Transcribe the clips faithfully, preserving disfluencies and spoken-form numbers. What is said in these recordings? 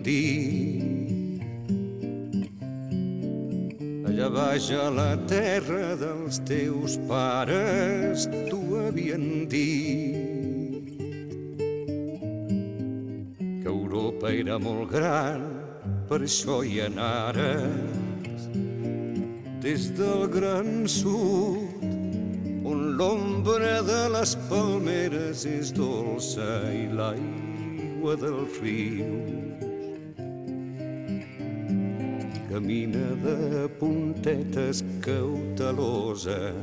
dit. Allà baix a la terra dels teus pares t'ho havien dit, que Europa era molt gran, per això hi anares des del gran sud, on l'ombra de les palmeres és dolça i l'aigua dels rius camina de puntetes cautelosa,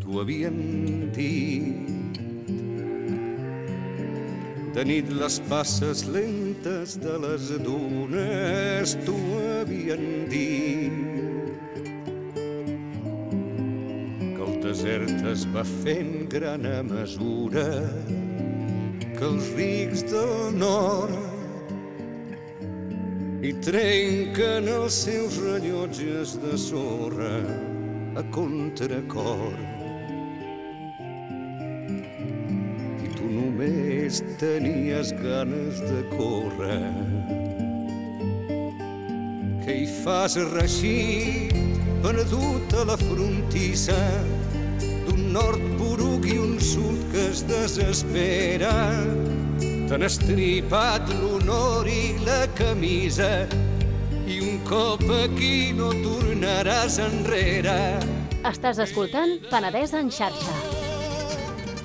t'ho havien dit. De nit les passes lentes de les dunes t'ho havien dit, el desert es va fent gran a mesura que els rics del nord hi trenquen els seus rellotges de sorra a contracor. I tu només tenies ganes de córrer. Què hi fas reixit, perdut a la frontissa d'un nord poruc i un sud que es desespera? T'han estripat l'honor i la camisa i un cop aquí no tornaràs enrere. Estàs escoltant Penedès en xarxa.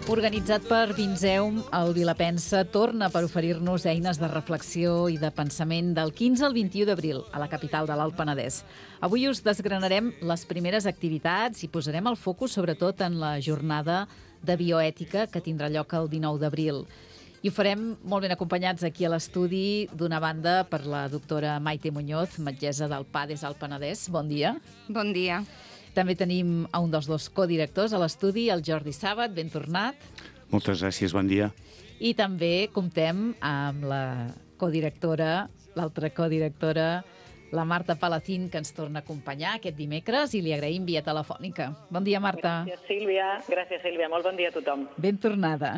Organitzat per Vinzeum, el Vilapensa torna per oferir-nos eines de reflexió i de pensament del quinze al vint-i-u d'abril a la capital de l'Alt Penedès. Avui us desgranarem les primeres activitats i posarem el focus sobretot en la jornada de bioètica que tindrà lloc el dinou d'abril. I ho farem molt ben acompanyats aquí a l'estudi, d'una banda per la doctora Maite Muñoz, metgessa del PADES Alt Penedès. Bon dia. Bon dia. També tenim a un dels dos codirectors a l'estudi, el Jordi Sàbat, ben tornat. Moltes gràcies, bon dia. I també comptem amb la codirectora, l'altra codirectora, la Marta Palacín, que ens torna a acompanyar aquest dimecres i li agraïm via telefònica. Bon dia, Marta. Gràcies, Sílvia. Gràcies, Sílvia. Molt bon dia a tothom. Ben tornada.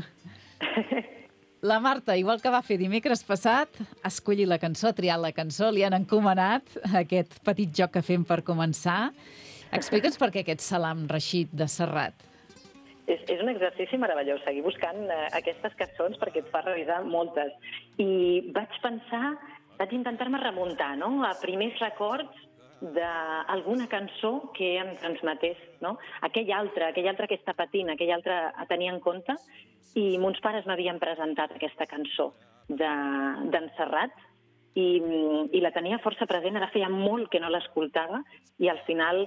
La Marta, igual que va fer dimecres passat, ha escollit la cançó, ha triat la cançó, li han encomanat aquest petit joc que fem per començar. Explica'ns per què aquest Salam Rashid de Serrat. És, és un exercici meravellós, seguir buscant eh, aquestes cançons perquè et fa revisar moltes. I vaig pensar, vaig intentar-me remuntar, no?, a primers records d'alguna cançó que em transmetés, no?, aquell altre, aquell altre que està patint, aquell altre a tenir en compte, i mons pares m'havien presentat aquesta cançó d'en de, Serrat, i, i la tenia força present, ara feia molt que no l'escoltava, i al final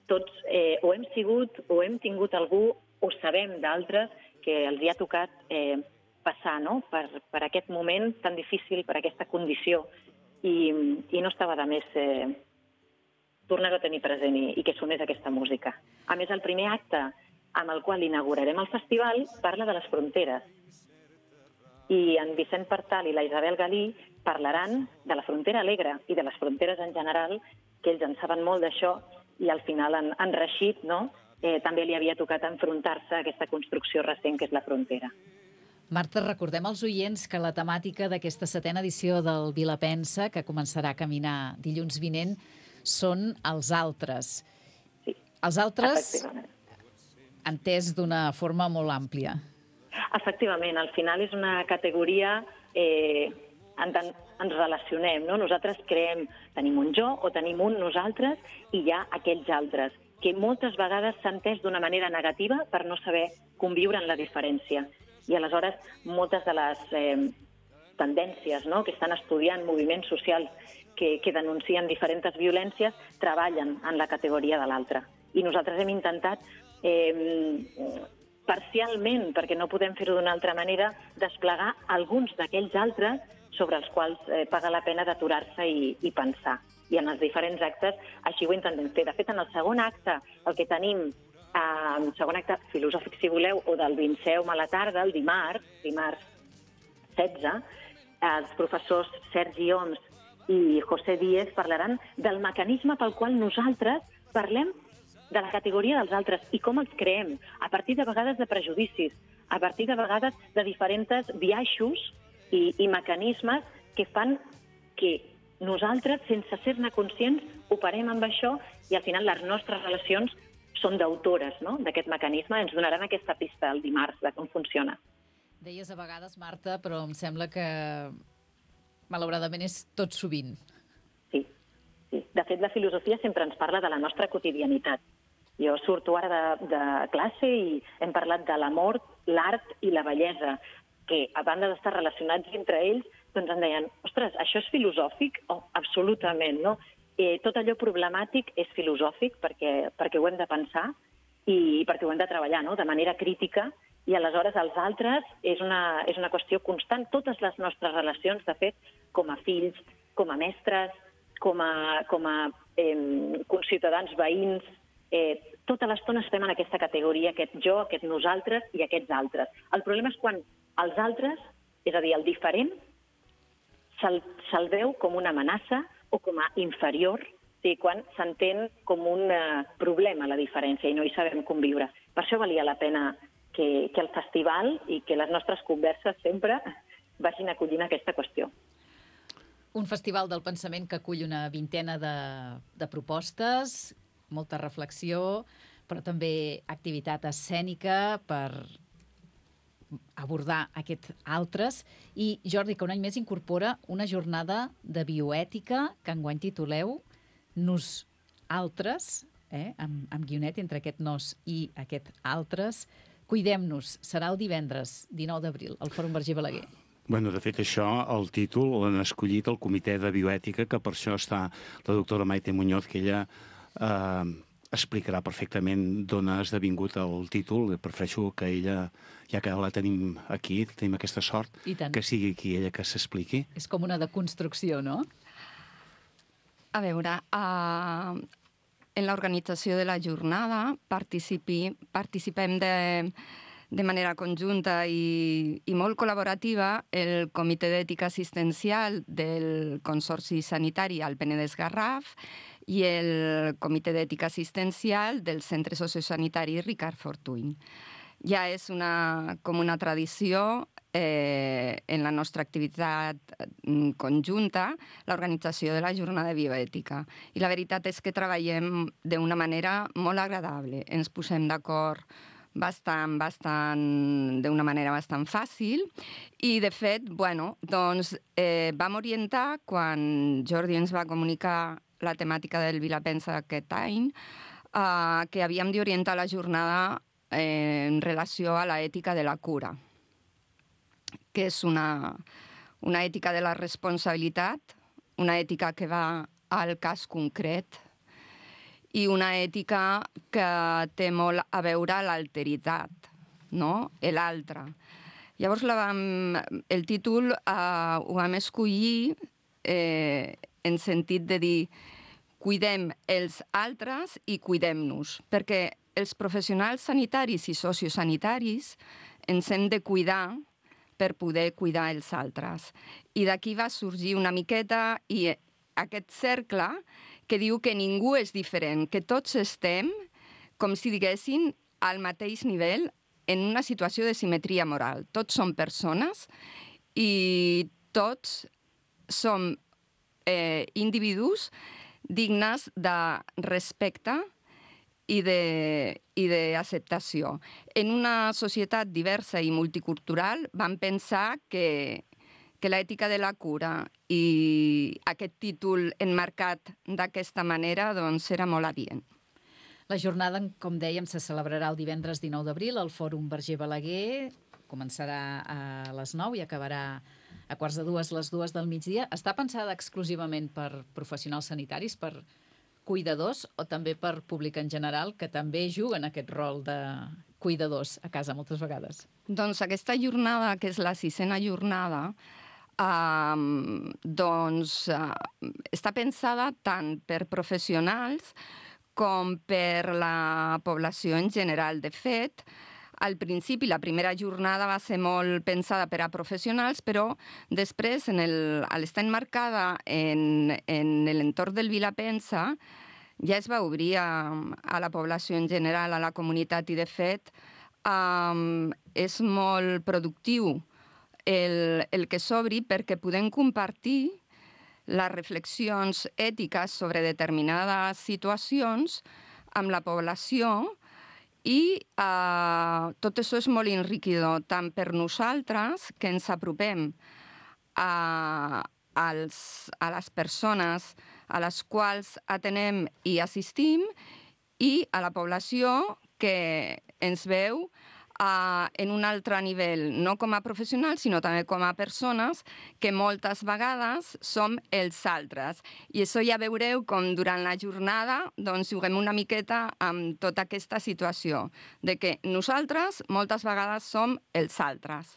tots eh, o hem sigut o hem tingut algú o sabem d'altres que els hi ha tocat eh, passar, no?, per, per aquest moment tan difícil, per aquesta condició, i, i no estava de més eh, tornar-ho a tenir present i, i que sonés aquesta música. A més, el primer acte amb el qual inaugurarem el festival parla de les fronteres. I en Vicent Partal i la Isabel Galí parlaran de la frontera alegre i de les fronteres en general, que ells en saben molt d'això, i al final en, en Rashid, no?, eh, també li havia tocat enfrontar-se a aquesta construcció recent que és la frontera. Marta, recordem als oients que la temàtica d'aquesta setena edició del Vilapensa, que començarà a caminar dilluns vinent, són els altres. Sí, els altres efectivament. Entès d'una forma molt àmplia. Efectivament, al final és una categoria eh, en tant ens relacionem, no? Nosaltres creem, tenim un jo o tenim un nosaltres i hi ha aquells altres, que moltes vegades s'ha entès d'una manera negativa per no saber conviure en la diferència. I aleshores moltes de les eh, tendències, no?, que estan estudiant moviments socials que, que denuncien diferents violències treballen en la categoria de l'altre. I nosaltres hem intentat eh, parcialment, perquè no podem fer-ho d'una altra manera, desplegar alguns d'aquells altres sobre els quals eh, paga la pena d'aturar-se i, i pensar. I en els diferents actes així ho intentem fer. De fet, en el segon acte, el que tenim, eh, el segon acte filosòfic, si voleu, o del Vinceum a la tarda, el dimarts, dimarts setze, els professors Sergi Oms i José Díez parlaran del mecanisme pel qual nosaltres parlem de la categoria dels altres i com els creem, a partir de vegades de prejudicis, a partir de vegades de diferents biaixos i, i mecanismes que fan que nosaltres, sense ser-ne conscients, operem amb això i al final les nostres relacions són d'autores, no?, d'aquest mecanisme. Ens donaran aquesta pista el dimarts de com funciona. Deies a vegades, Marta, però em sembla que malauradament és tot sovint. Sí, sí. De fet, la filosofia sempre ens parla de la nostra quotidianitat. Jo surto ara de, de classe i hem parlat de l'amor, l'art i la bellesa, que a banda d'estar relacionats entre ells, doncs em deien, ostres, això és filosòfic? Oh, absolutament, no? Eh, tot allò problemàtic és filosòfic perquè, perquè ho hem de pensar i perquè ho hem de treballar, no?, de manera crítica, i aleshores els altres és una, és una qüestió constant. Totes les nostres relacions, de fet, com a fills, com a mestres, com a, com a eh, conciutadans, veïns, eh, tota l'estona estem en aquesta categoria, aquest jo, aquest nosaltres i aquests altres. El problema és quan els altres, és a dir, el diferent, se'l se veu com una amenaça o com a inferior, sí, quan s'entén com un uh, problema la diferència i no hi sabem conviure. Per això valia la pena que, que el festival i que les nostres converses sempre vagin acollint aquesta qüestió. Un festival del pensament que acull una vintena de, de propostes, molta reflexió, però també activitat escènica per abordar aquests altres. I, Jordi, que un any més incorpora una jornada de bioètica que enguany tituleu Nos altres, eh, amb, amb guionet entre aquest nos i aquest altres. Cuidem-nos. Serà el divendres dinou d'abril al Fòrum Verger Balaguer. Bueno, de fet, això, el títol l'han escollit el Comitè de Bioètica, que per això està la doctora Maite Muñoz, que ella eh, explicarà perfectament d'on ha esdevingut el títol. Prefereixo que ella, ja que la tenim aquí, tenim aquesta sort, que sigui aquí ella que s'expliqui. És com una deconstrucció, no? A veure, uh, en l'organització de la jornada participi, participem de, de manera conjunta i, i molt col·laborativa el Comitè d'Ètica Assistencial del Consorci Sanitari al Penedès Garraf i el Comitè d'Ètica Assistencial del Centre Sociosanitari Ricard Fortuny. Ja és una, com una tradició eh, en la nostra activitat conjunta l'organització de la jornada de bioètica. I la veritat és que treballem d'una manera molt agradable. Ens posem d'acord bastant, bastant, d'una manera bastant fàcil i, de fet, bueno, doncs eh, vam orientar, quan Jordi ens va comunicar la temàtica del Vilapensa d'aquest any, eh, que havíem d'orientar la jornada en relació a l'ètica de la cura, que és una, una ètica de la responsabilitat, una ètica que va al cas concret i una ètica que té molt a veure amb l'alteritat, no?, l'altre. Llavors la vam, el títol eh, ho vam escollir eh, en sentit de dir cuidem els altres i cuidem-nos, perquè els professionals sanitaris i sociosanitaris ens hem de cuidar per poder cuidar els altres. I d'aquí va sorgir una miqueta i aquest cercle que diu que ningú és diferent, que tots estem, com si diguessin, al mateix nivell en una situació de simetria moral. Tots som persones i tots som eh, individus dignes de respecte i d'acceptació. En una societat diversa i multicultural vam pensar que, que l'ètica de la cura i aquest títol enmarcat d'aquesta manera doncs era molt adient. La jornada, com dèiem, se celebrarà el divendres dinou d'abril al Fòrum Verger Balaguer. Començarà a les nou i acabarà a quarts de dues, les dues del migdia. Està pensada exclusivament per professionals sanitaris, per cuidadors o també per públic en general, que també juguen aquest rol de cuidadors a casa moltes vegades? Doncs aquesta jornada, que és la sisena jornada, eh, doncs eh, està pensada tant per professionals com per la població en general. De fet, al principi, la primera jornada va ser molt pensada per a professionals, però després, en el, al estar enmarcada en, en l'entorn del Vilapensa, ja es va obrir a, a la població en general, a la comunitat, i de fet um, és molt productiu el, el que s'obri perquè podem compartir les reflexions ètiques sobre determinades situacions amb la població i eh, tot això és molt enriquidor, tant per nosaltres, que ens apropem a, als, a les persones a les quals atenem i assistim, i a la població que ens veu uh, en un altre nivell, no com a professionals, sinó també com a persones que moltes vegades som els altres. I això ja veureu com durant la jornada doncs, juguem una miqueta amb tota aquesta situació, de que nosaltres moltes vegades som els altres.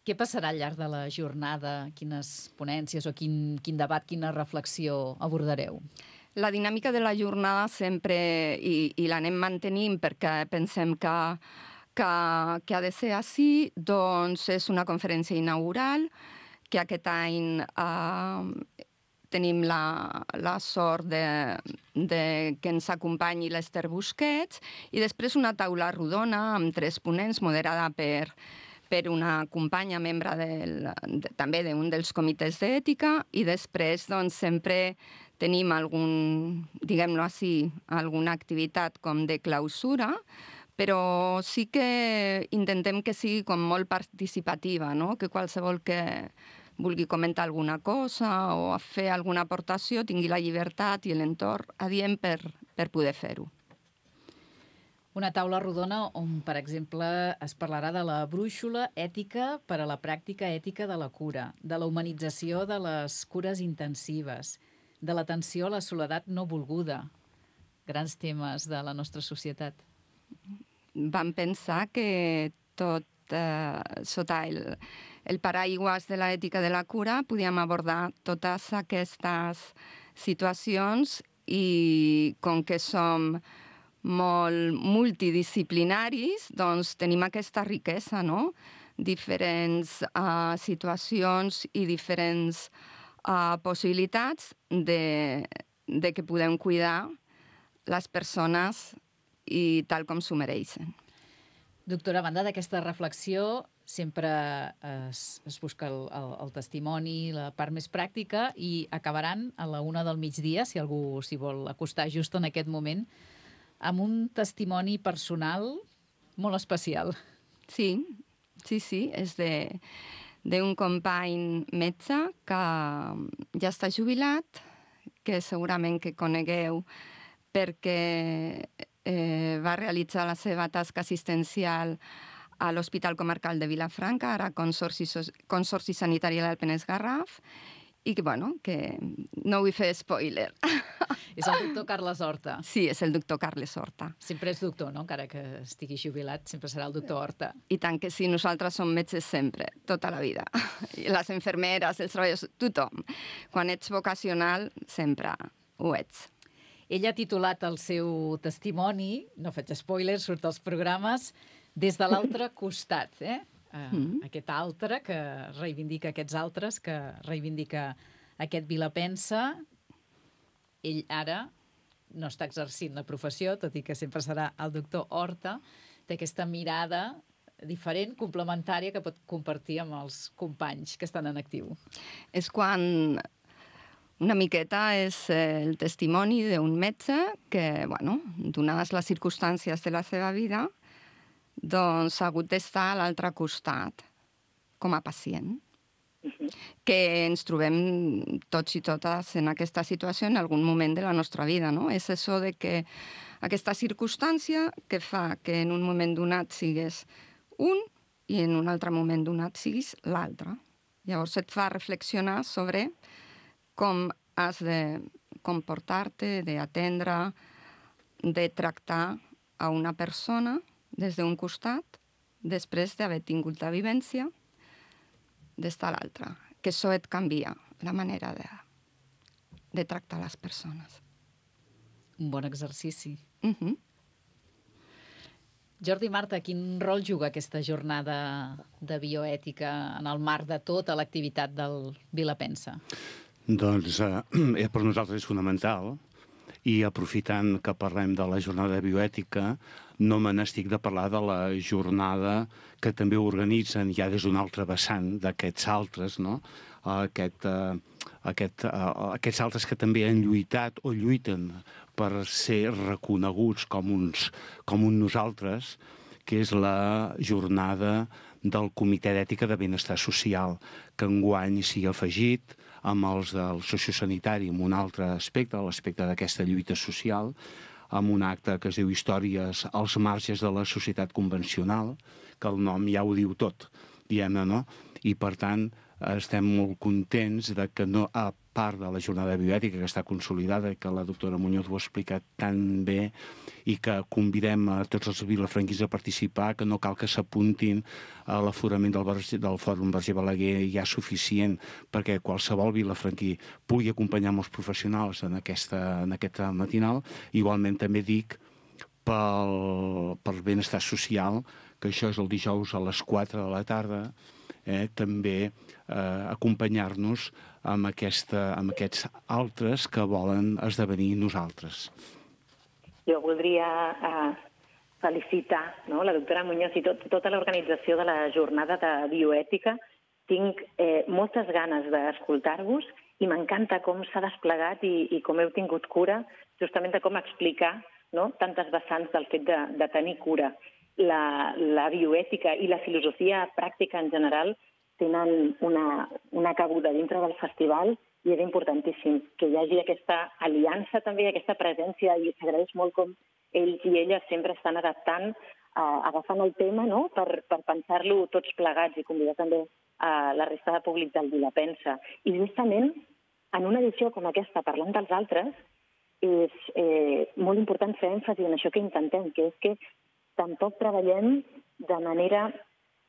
Què passarà al llarg de la jornada? Quines ponències o quin, quin debat, quina reflexió abordareu? La dinàmica de la jornada sempre, i, i l'anem mantenint perquè pensem que, que, que ha de ser així, doncs és una conferència inaugural, que aquest any eh, tenim la, la sort de, de que ens acompanyi l'Ester Busquets, i després una taula rodona amb tres ponents moderada per per una companya, membre del, de, també d'un dels comitès d'ètica, i després doncs, sempre tenim algun, diguem-ho així, alguna activitat com de clausura, però sí que intentem que sigui com molt participativa, no? Que qualsevol que vulgui comentar alguna cosa o fer alguna aportació tingui la llibertat i l'entorn adient per, per poder fer-ho. Una taula rodona on, per exemple, es parlarà de la brúixola ètica per a la pràctica ètica de la cura, de la humanització de les cures intensives, de l'atenció a la soledat no volguda. Grans temes de la nostra societat. Vam pensar que tot eh, sota el, el paraigües de l'ètica de la cura podíem abordar totes aquestes situacions, i com que som molt multidisciplinaris, doncs tenim aquesta riquesa, no? Diferents uh, situacions i diferents uh, possibilitats de, de que podem cuidar les persones i tal com s'ho mereixen. Doctora, a banda d'aquesta reflexió, sempre es, es busca el, el, el testimoni, la part més pràctica, i acabaran a la una del migdia, si algú s'hi vol acostar just en aquest moment, amb un testimoni personal molt especial. Sí, sí, sí, és de d'un company metge que ja està jubilat, que segurament que conegueu perquè eh, va realitzar la seva tasca assistencial a l'Hospital Comarcal de Vilafranca, ara Consorci, Consorci Sanitari del Penedès Garraf, i que, bueno, que no vull fer spoiler. És el doctor Carles Horta. Sí, és el doctor Carles Horta. Sempre és doctor, no? Encara que estigui jubilat, sempre serà el doctor Horta. I tant que sí, nosaltres som metges sempre, tota la vida. Les infermeres, els treballadors, tothom. Quan ets vocacional, sempre ho ets. Ell ha titulat el seu testimoni, no faig spoilers, surt als programes, Des de l'altre costat, eh? Uh, mm. Aquest altre que reivindica aquests altres, que reivindica aquest Vilapensa. Ell ara no està exercint la professió, tot i que sempre serà el doctor Horta, té aquesta mirada diferent, complementària, que pot compartir amb els companys que estan en actiu. És quan una miqueta és el testimoni d'un metge que, bueno, donades les circumstàncies de la seva vida, doncs ha hagut d'estar a l'altre costat, com a pacient. Uh-huh. Que ens trobem tots i totes en aquesta situació en algun moment de la nostra vida, no? És això de que aquesta circumstància que fa que en un moment donat sigues un i en un altre moment donat siguis l'altre. Llavors et fa reflexionar sobre com has de comportar-te, d'atendre, de tractar a una persona des d'un costat, després d'haver tingut la vivència d'estar a l'altre. Que això et canvia la manera de, de tractar les persones. Un bon exercici. Uh-huh. Jordi i Marta, quin rol juga aquesta jornada de bioètica en el marc de tota l'activitat del Vilapensa? Doncs eh, per nosaltres és fonamental, i aprofitant que parlem de la jornada de bioètica, no me n'estic de parlar de la jornada que també organitzen ja des d'un altre vessant d'aquests altres, no? aquest, uh, aquest, uh, aquests altres que també han lluitat o lluiten per ser reconeguts com uns, com un nosaltres, que és la jornada del Comitè d'Ètica de Benestar Social, que enguany s'hi ha afegit amb els del sociosanitari, amb un altre aspecte, l'aspecte d'aquesta lluita social, amb un acte que es diu Històries als marges de la societat convencional, que el nom ja ho diu tot, diguem-ne, no? I, per tant, estem molt contents de que, no, a part de la jornada bioètica que està consolidada, que la doctora Muñoz ho ha explicat tan bé, i que convidem a tots els vilafranquins a participar, que no cal que s'apuntin a l'aforament del, del Fòrum Verger Balaguer ja suficient perquè qualsevol vilafranquí pugui acompanyar amb els professionals en aquesta, en aquesta matinal. Igualment també dic pel, pel benestar social, que això és el dijous a les quatre de la tarda, eh, també eh, acompanyar-nos amb, aquesta, amb aquests altres que volen esdevenir nosaltres. Jo voldria eh, felicitar, no?, la doctora Muñoz i tot, tota l'organització de la jornada de bioètica. Tinc eh, moltes ganes d'escoltar-vos i m'encanta com s'ha desplegat i, i com heu tingut cura justament de com explicar, no?, tantes vessants del fet de, de tenir cura. La, la bioètica i la filosofia pràctica en general tenen una, una cabuda dintre del festival i és importantíssim que hi hagi aquesta aliança també, aquesta presència, i s'agraeix molt com ells i elles sempre estan adaptant, eh, agafant el tema, no?, per, per pensar-lo tots plegats i convidar també a la resta de públic del Vilapensa. I justament en una edició com aquesta, parlant dels altres, és eh, molt important fer èmfasi en això que intentem, que és que tampoc treballem de manera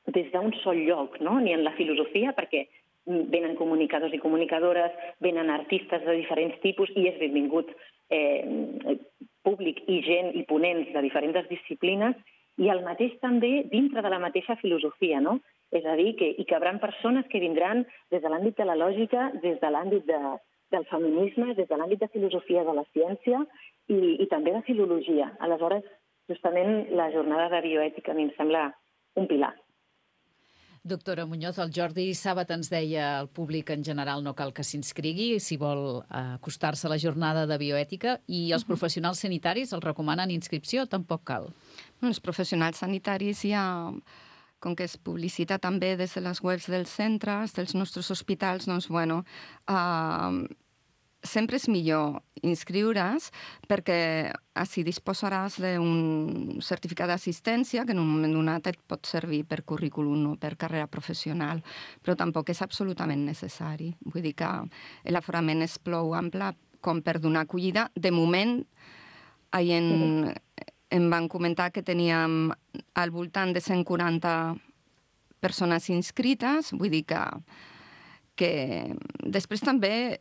des d'un sol lloc, no?, ni en la filosofia, perquè venen comunicadors i comunicadores, venen artistes de diferents tipus i és benvingut eh, públic i gent i ponents de diferents disciplines, i el mateix també dintre de la mateixa filosofia, no? És a dir, que hi cabran persones que vindran des de l'àmbit de la lògica, des de l'àmbit de, del feminisme, des de l'àmbit de filosofia de la ciència i, i també de filologia. Aleshores, justament la jornada de bioètica a mi em sembla un pilar. Doctora Muñoz, el Jordi Sàbat ens deia al públic en general no cal que s'inscrigui si vol acostar-se a la jornada de bioètica, i els professionals sanitaris els recomanen inscripció, tampoc cal? Els professionals sanitaris ja, com que es publicita també des de les webs dels centres, dels nostres hospitals, doncs, bueno, uh, sempre és millor inscriure's perquè així disposaràs d'un certificat d'assistència que en un moment donat et pot servir per currículum o per carrera professional, però tampoc és absolutament necessari. Vull dir que l'aforament és prou ample com per donar acollida. De moment, ahir en, em van comentar que teníem al voltant de cent quaranta persones inscrites, vull dir que, que després també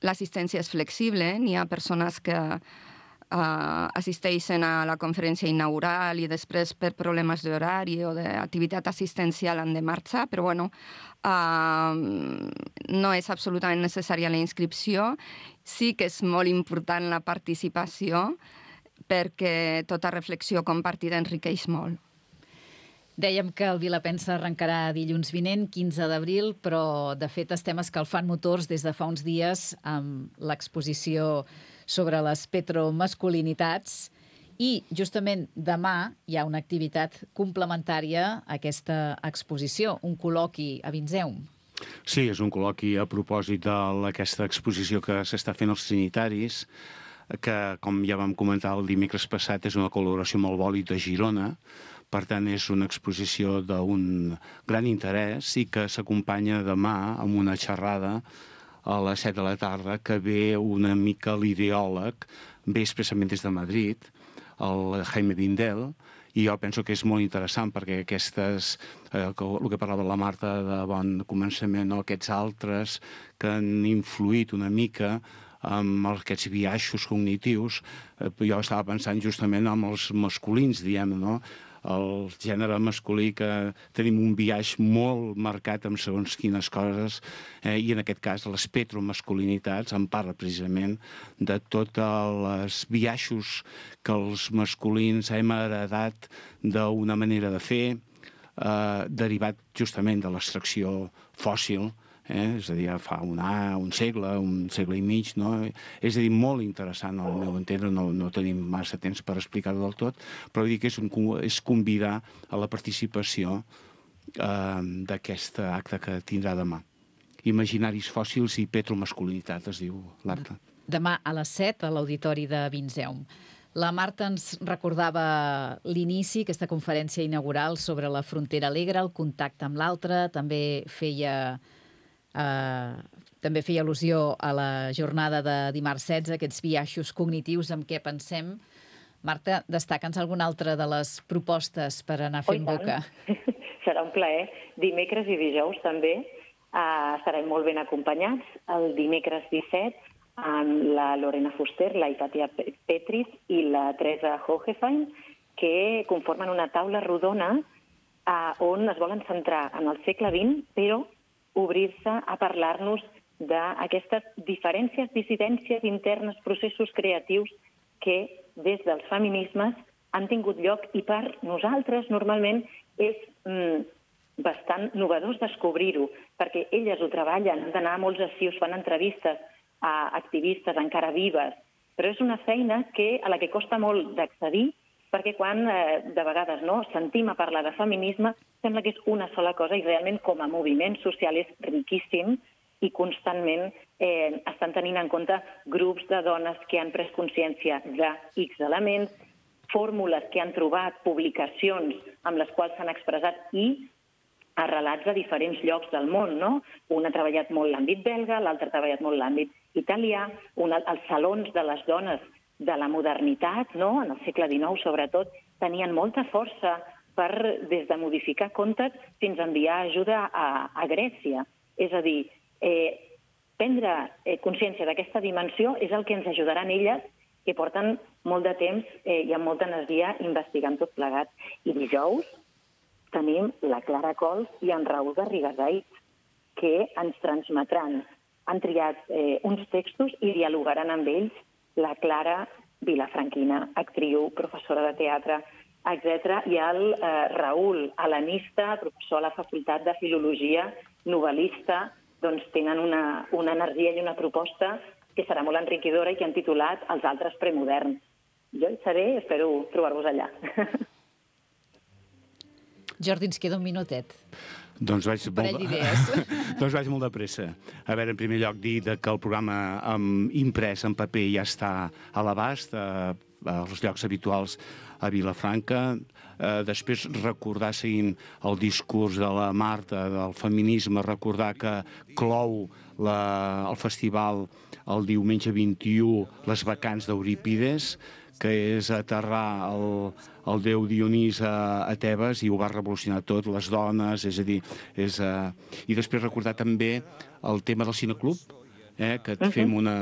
l'assistència és flexible, eh? N'hi ha persones que uh, assisteixen a la conferència inaugural i després per problemes d'horari o d'activitat assistencial han de marxar, però bueno, uh, no és absolutament necessària la inscripció. Sí que és molt important la participació perquè tota reflexió compartida enriqueix molt. Dèiem que el Vilapensa arrencarà dilluns vinent, quinze d'abril, però de fet estem escalfant motors des de fa uns dies amb l'exposició sobre les petromasculinitats i justament demà hi ha una activitat complementària a aquesta exposició, un col·loqui a Vinzeum. Sí, és un col·loqui a propòsit d'aquesta exposició que s'està fent als trinitaris, que, com ja vam comentar el dimecres passat, és una col·laboració amb el Bòlit de Girona. Per tant, és una exposició d'un gran interès i que s'acompanya demà amb una xerrada a les set de la tarda que ve una mica l'ideòleg, ve expressament des de Madrid, el Jaime Vindel, i jo penso que és molt interessant perquè aquestes, eh, el que parlava la Marta de bon començament, no? Aquests altres que han influït una mica amb aquests biaixos cognitius, eh, jo estava pensant justament amb els masculins, diguem, no? El gènere masculí, que tenim un biaix molt marcat amb segons quines coses, eh, i en aquest cas les petromasculinitats en parla precisament de tots els biaixos que els masculins hem heredat d'una manera de fer, eh, derivat justament de l'extracció fòssil, eh? És a dir, fa un, un segle, un segle i mig, no? És a dir, molt interessant al meu entendre, no, no tenim massa temps per explicar-ho del tot, però vull dir que és, un, és convidar a la participació eh, d'aquest acte que tindrà demà. Imaginaris fòssils i petromasculinitat, es diu l'acte. Demà a les set a l'Auditori de Vinzeum. La Marta ens recordava l'inici, aquesta conferència inaugural sobre la frontera alegre, el contacte amb l'altre, també feia, eh, també feia al·lusió a la jornada de dimarts setze, aquests biaixos cognitius amb què pensem. Marta, destaca'ns alguna altra de les propostes per anar fent oh, boca. Serà un plaer. Dimecres i dijous també eh, estarem molt ben acompanyats. El dimecres disset amb la Lorena Fuster, la Hipatia Petris i la Teresa Hohefein, que conformen una taula rodona eh, on es volen centrar en el segle vint, però obrir-se a parlar-nos d'aquestes diferències, dissidències internes, processos creatius que des dels feminismes han tingut lloc i per nosaltres normalment és mm, bastant novedós descobrir-ho, perquè elles ho treballen, han d'anar a molts arxius, fan entrevistes a activistes encara vives, però és una feina que, a la que costa molt d'accedir, perquè quan eh, de vegades no, sentim a parlar de feminisme sembla que és una sola cosa i realment com a moviment social és riquíssim i constantment eh, estan tenint en compte grups de dones que han pres consciència de X elements, fórmules que han trobat, publicacions amb les quals s'han expressat i arrelats a diferents llocs del món, no? Un ha treballat molt l'àmbit belga, l'altre ha treballat molt l'àmbit italià, un, els salons de les dones de la modernitat, no? En el segle dinou, sobretot, tenien molta força per, des de modificar contes fins a enviar ajuda a, a Grècia. És a dir, eh, prendre eh, consciència d'aquesta dimensió és el que ens ajudaran elles, que porten molt de temps eh, i amb molta energia investigant tot plegat. I dijous tenim la Clara Cols i en Raül Garrigasait, que ens transmetran. Han triat eh, uns textos i dialogaran amb ells la Clara Vilafranquina, actriu, professora de teatre, etcètera, i el eh, Raül, helenista, professor a la Facultat de Filologia, novel·lista, doncs tenen una, una energia i una proposta que serà molt enriquidora i que han titulat Els altres premoderns. Jo hi seré, espero trobar-vos allà. Jordi, ens queda un minutet. Doncs vaig, un parell d'idees. doncs vaig molt de pressa. A veure, en primer lloc, dir que el programa um, imprès en paper ja està a l'abast, uh, als llocs habituals a Vilafranca. Uh, després, recordar, seguint el discurs de la Marta, del feminisme, recordar que clou la, el festival el diumenge vint-i-u les vacants d'Eurípides, que és aterrar el, el déu Dionís a, a Tebes i ho va revolucionar tot, les dones, és a dir... És, uh... I després recordar també el tema del cineclub, eh, que et uh-huh. fem una,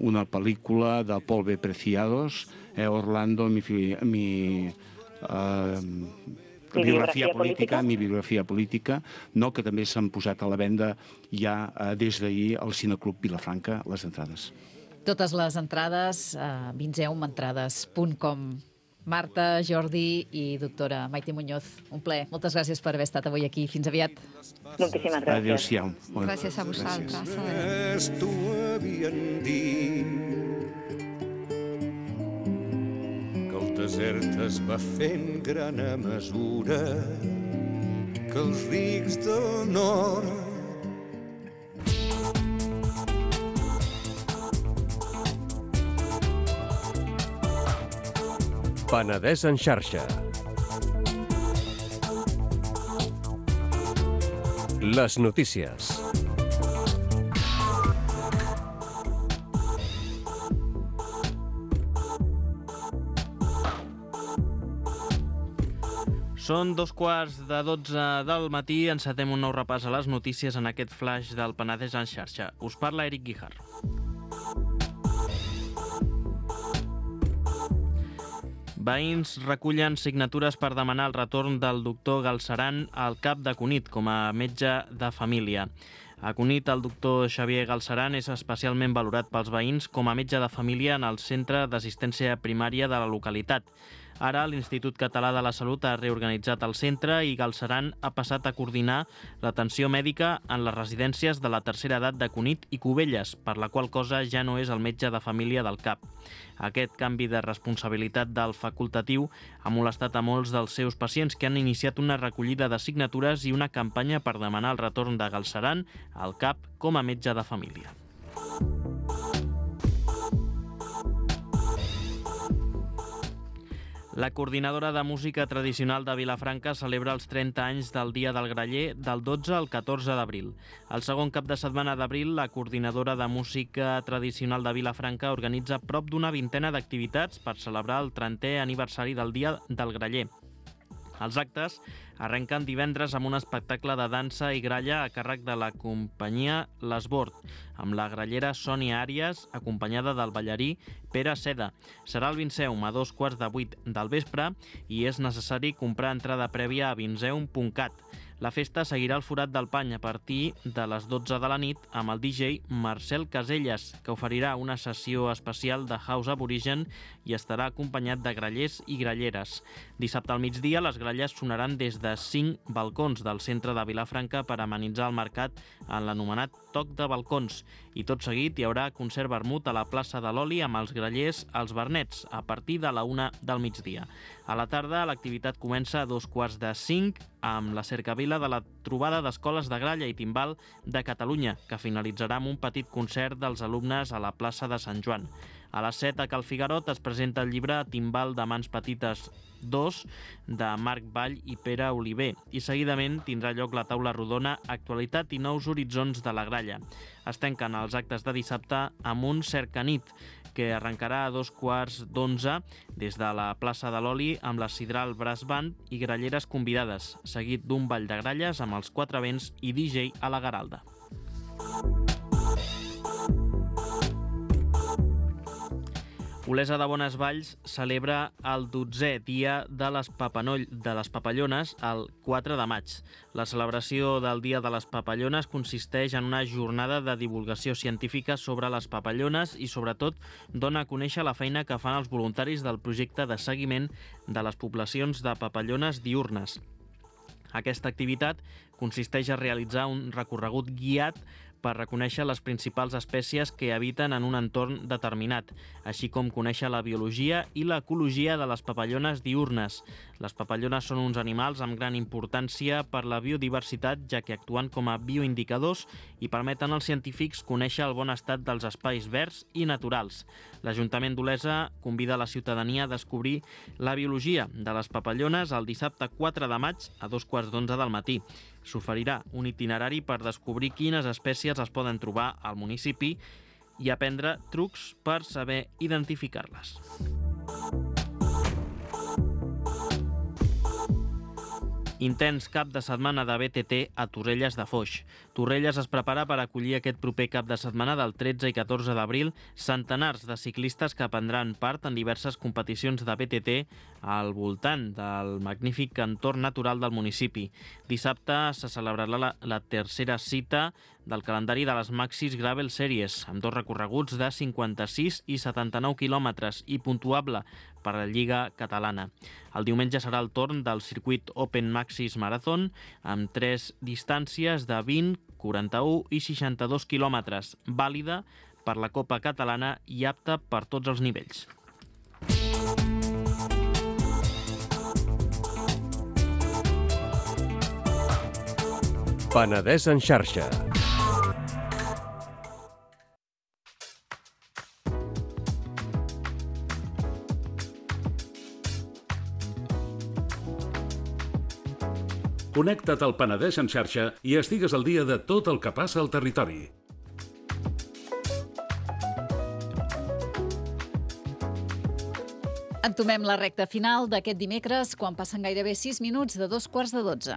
una pel·lícula de Paul B. Preciados, eh, Orlando, mi... mi uh, Mi biografia biografia política, política, mi biografia política, no, que també s'han posat a la venda ja eh, des d'ahir al Cineclub Vilafranca, les entrades. Totes les entrades a vinzeum entrades punt com. Marta, Jordi i doctora Maite Muñoz, un plaer. Moltes gràcies per haver estat avui aquí. Fins aviat. Moltíssimes gràcies. Adéu-siau. Gràcies a vosaltres. Res t'ho havien dit que el desert es va fent gran a mesura que els rics del nord Penedès en xarxa. Les notícies. Són dos quarts de dotze del matí, encetem un nou repàs a les notícies en aquest flash del Penedès en xarxa. Us parla Eric Guijarro. Veïns recullen signatures per demanar el retorn del doctor Galceran al cap de Cunit com a metge de família. A Cunit, el doctor Xavier Galceran és especialment valorat pels veïns com a metge de família en el centre d'assistència primària de la localitat. Ara l'Institut Català de la Salut ha reorganitzat el centre i Galceran ha passat a coordinar l'atenció mèdica en les residències de la tercera edat de Cunit i Cubelles, per la qual cosa ja no és el metge de família del C A P. Aquest canvi de responsabilitat del facultatiu ha molestat a molts dels seus pacients que han iniciat una recollida de signatures i una campanya per demanar el retorn de Galceran al C A P com a metge de família. La coordinadora de música tradicional de Vilafranca celebra els trenta anys del Dia del Graller del dotze al catorze d'abril. El segon cap de setmana d'abril, la coordinadora de música tradicional de Vilafranca organitza prop d'una vintena d'activitats per celebrar el trentè aniversari del Dia del Graller. Els actes arrenquen divendres amb un espectacle de dansa i gralla a càrrec de la companyia L'Esbord, amb la grallera Sònia Àries, acompanyada del ballarí Pere Seda. Serà el Vinceum a dos quarts de vuit del vespre i és necessari comprar entrada prèvia a vinceum punt cat. La festa seguirà el Forat del Pany a partir de les dotze de la nit amb el D J Marcel Caselles, que oferirà una sessió especial de house aborigen i estarà acompanyat de grallers i gralleres. Dissabte al migdia les gralles sonaran des de cinc balcons del centre de Vilafranca per amenitzar el mercat en l'anomenat Toc de Balcons. I tot seguit hi haurà concert vermut a la plaça de l'Oli amb els grallers als Bernets a partir de la una del migdia. A la tarda l'activitat comença a dos quarts de cinc amb la cercavila de la trobada d'escoles de gralla i timbal de Catalunya, que finalitzarà amb un petit concert dels alumnes a la plaça de Sant Joan. A les set a Cal Figarot es presenta el llibre Timbal de mans petites dos de Marc Vall i Pere Oliver i seguidament tindrà lloc la taula rodona Actualitat i nous horitzons de la gralla. Es tanquen els actes de dissabte amb un cercanit que arrencarà a dos quarts d'onze des de la plaça de l'Oli amb la Sidral Brass Band i gralleres convidades, seguit d'un ball de gralles amb els quatre vents i D J a la Garalda. Olesa de Bonesvalls celebra el dotzè dia de les, Papanoll, de les Papallones el quatre de maig. La celebració del Dia de les Papallones consisteix en una jornada de divulgació científica sobre les papallones i, sobretot, dona a conèixer la feina que fan els voluntaris del projecte de seguiment de les poblacions de papallones diürnes. Aquesta activitat consisteix a realitzar un recorregut guiat per reconèixer les principals espècies que habiten en un entorn determinat, així com conèixer la biologia i l'ecologia de les papallones diürnes. Les papallones són uns animals amb gran importància per la biodiversitat, ja que actuen com a bioindicadors i permeten als científics conèixer el bon estat dels espais verds i naturals. L'Ajuntament d'Olesa convida la ciutadania a descobrir la biologia de les papallones el dissabte quatre de maig a dos quarts d'onze del matí. S'oferirà un itinerari per descobrir quines espècies es poden trobar al municipi i aprendre trucs per saber identificar-les. Intens cap de setmana de B T T a Torrelles de Foix. Torrelles es prepara per acollir aquest proper cap de setmana del tretze i catorze d'abril centenars de ciclistes que prendran part en diverses competicions de B T T al voltant del magnífic entorn natural del municipi. Dissabte se celebrarà la, la tercera cita del calendari de les Maxis Gravel Series, amb dos recorreguts de cinquanta-sis i setanta-nou quilòmetres i puntuable per a la Lliga Catalana. El diumenge serà el torn del circuit Open Maxis Marathon, amb tres distàncies de vint, quaranta-u i seixanta-dos quilòmetres, vàlida per la Copa Catalana i apta per tots els nivells. Penedès en xarxa. Connecta't al Penedès en xarxa i estigues al dia de tot el que passa al territori. Entomem la recta final d'aquest dimecres quan passen gairebé sis minuts de dos quarts de dotze.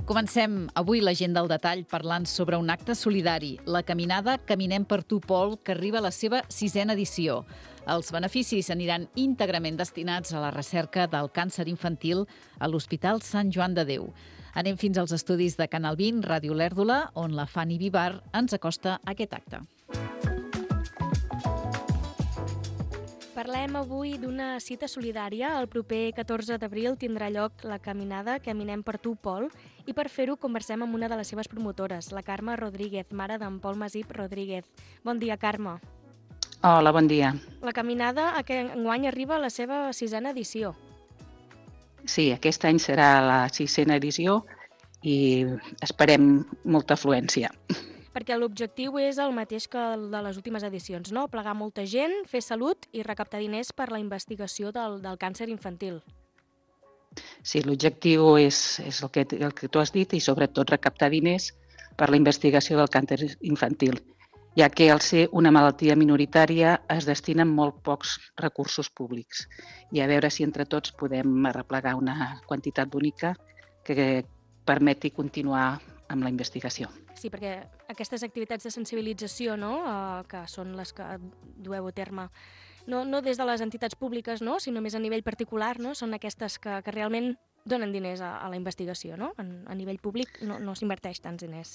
Comencem avui l'agenda al detall parlant sobre un acte solidari, la caminada Caminem per tu, Pol, que arriba a la seva sisena edició. Els beneficis aniran íntegrament destinats a la recerca del càncer infantil a l'Hospital Sant Joan de Déu. Anem fins als estudis de Canal vint, Ràdio Lèrdula, on la Fanny Vivar ens acosta a aquest acte. Parlem avui d'una cita solidària. El proper catorze d'abril tindrà lloc la caminada Caminem per tu, Pol, i per fer-ho conversem amb una de les seves promotores, la Carme Rodríguez, mare d'en Pol Masip Rodríguez. Bon dia, Carme. Hola, bon dia. La caminada aquest enguany arriba a la seva sisena edició. Sí, aquest any serà la sisena edició i esperem molta afluència. Perquè l'objectiu és el mateix que el de les últimes edicions, no? Plegar molta gent, fer salut i recaptar diners per la investigació del, del càncer infantil. Sí, l'objectiu és, és el, que, el que tu has dit i sobretot recaptar diners per la investigació del càncer infantil, ja que al ser una malaltia minoritària es destinen molt pocs recursos públics i a veure si entre tots podem arreplegar una quantitat bonica que permeti continuar amb la investigació. Sí, perquè aquestes activitats de sensibilització, no?, eh, que són les que dueu a terme, no, no des de les entitats públiques, no?, sinó més a nivell particular, no?, són aquestes que, que realment donen diners a, a la investigació, no? En, a nivell públic no, no s'inverteix tants diners.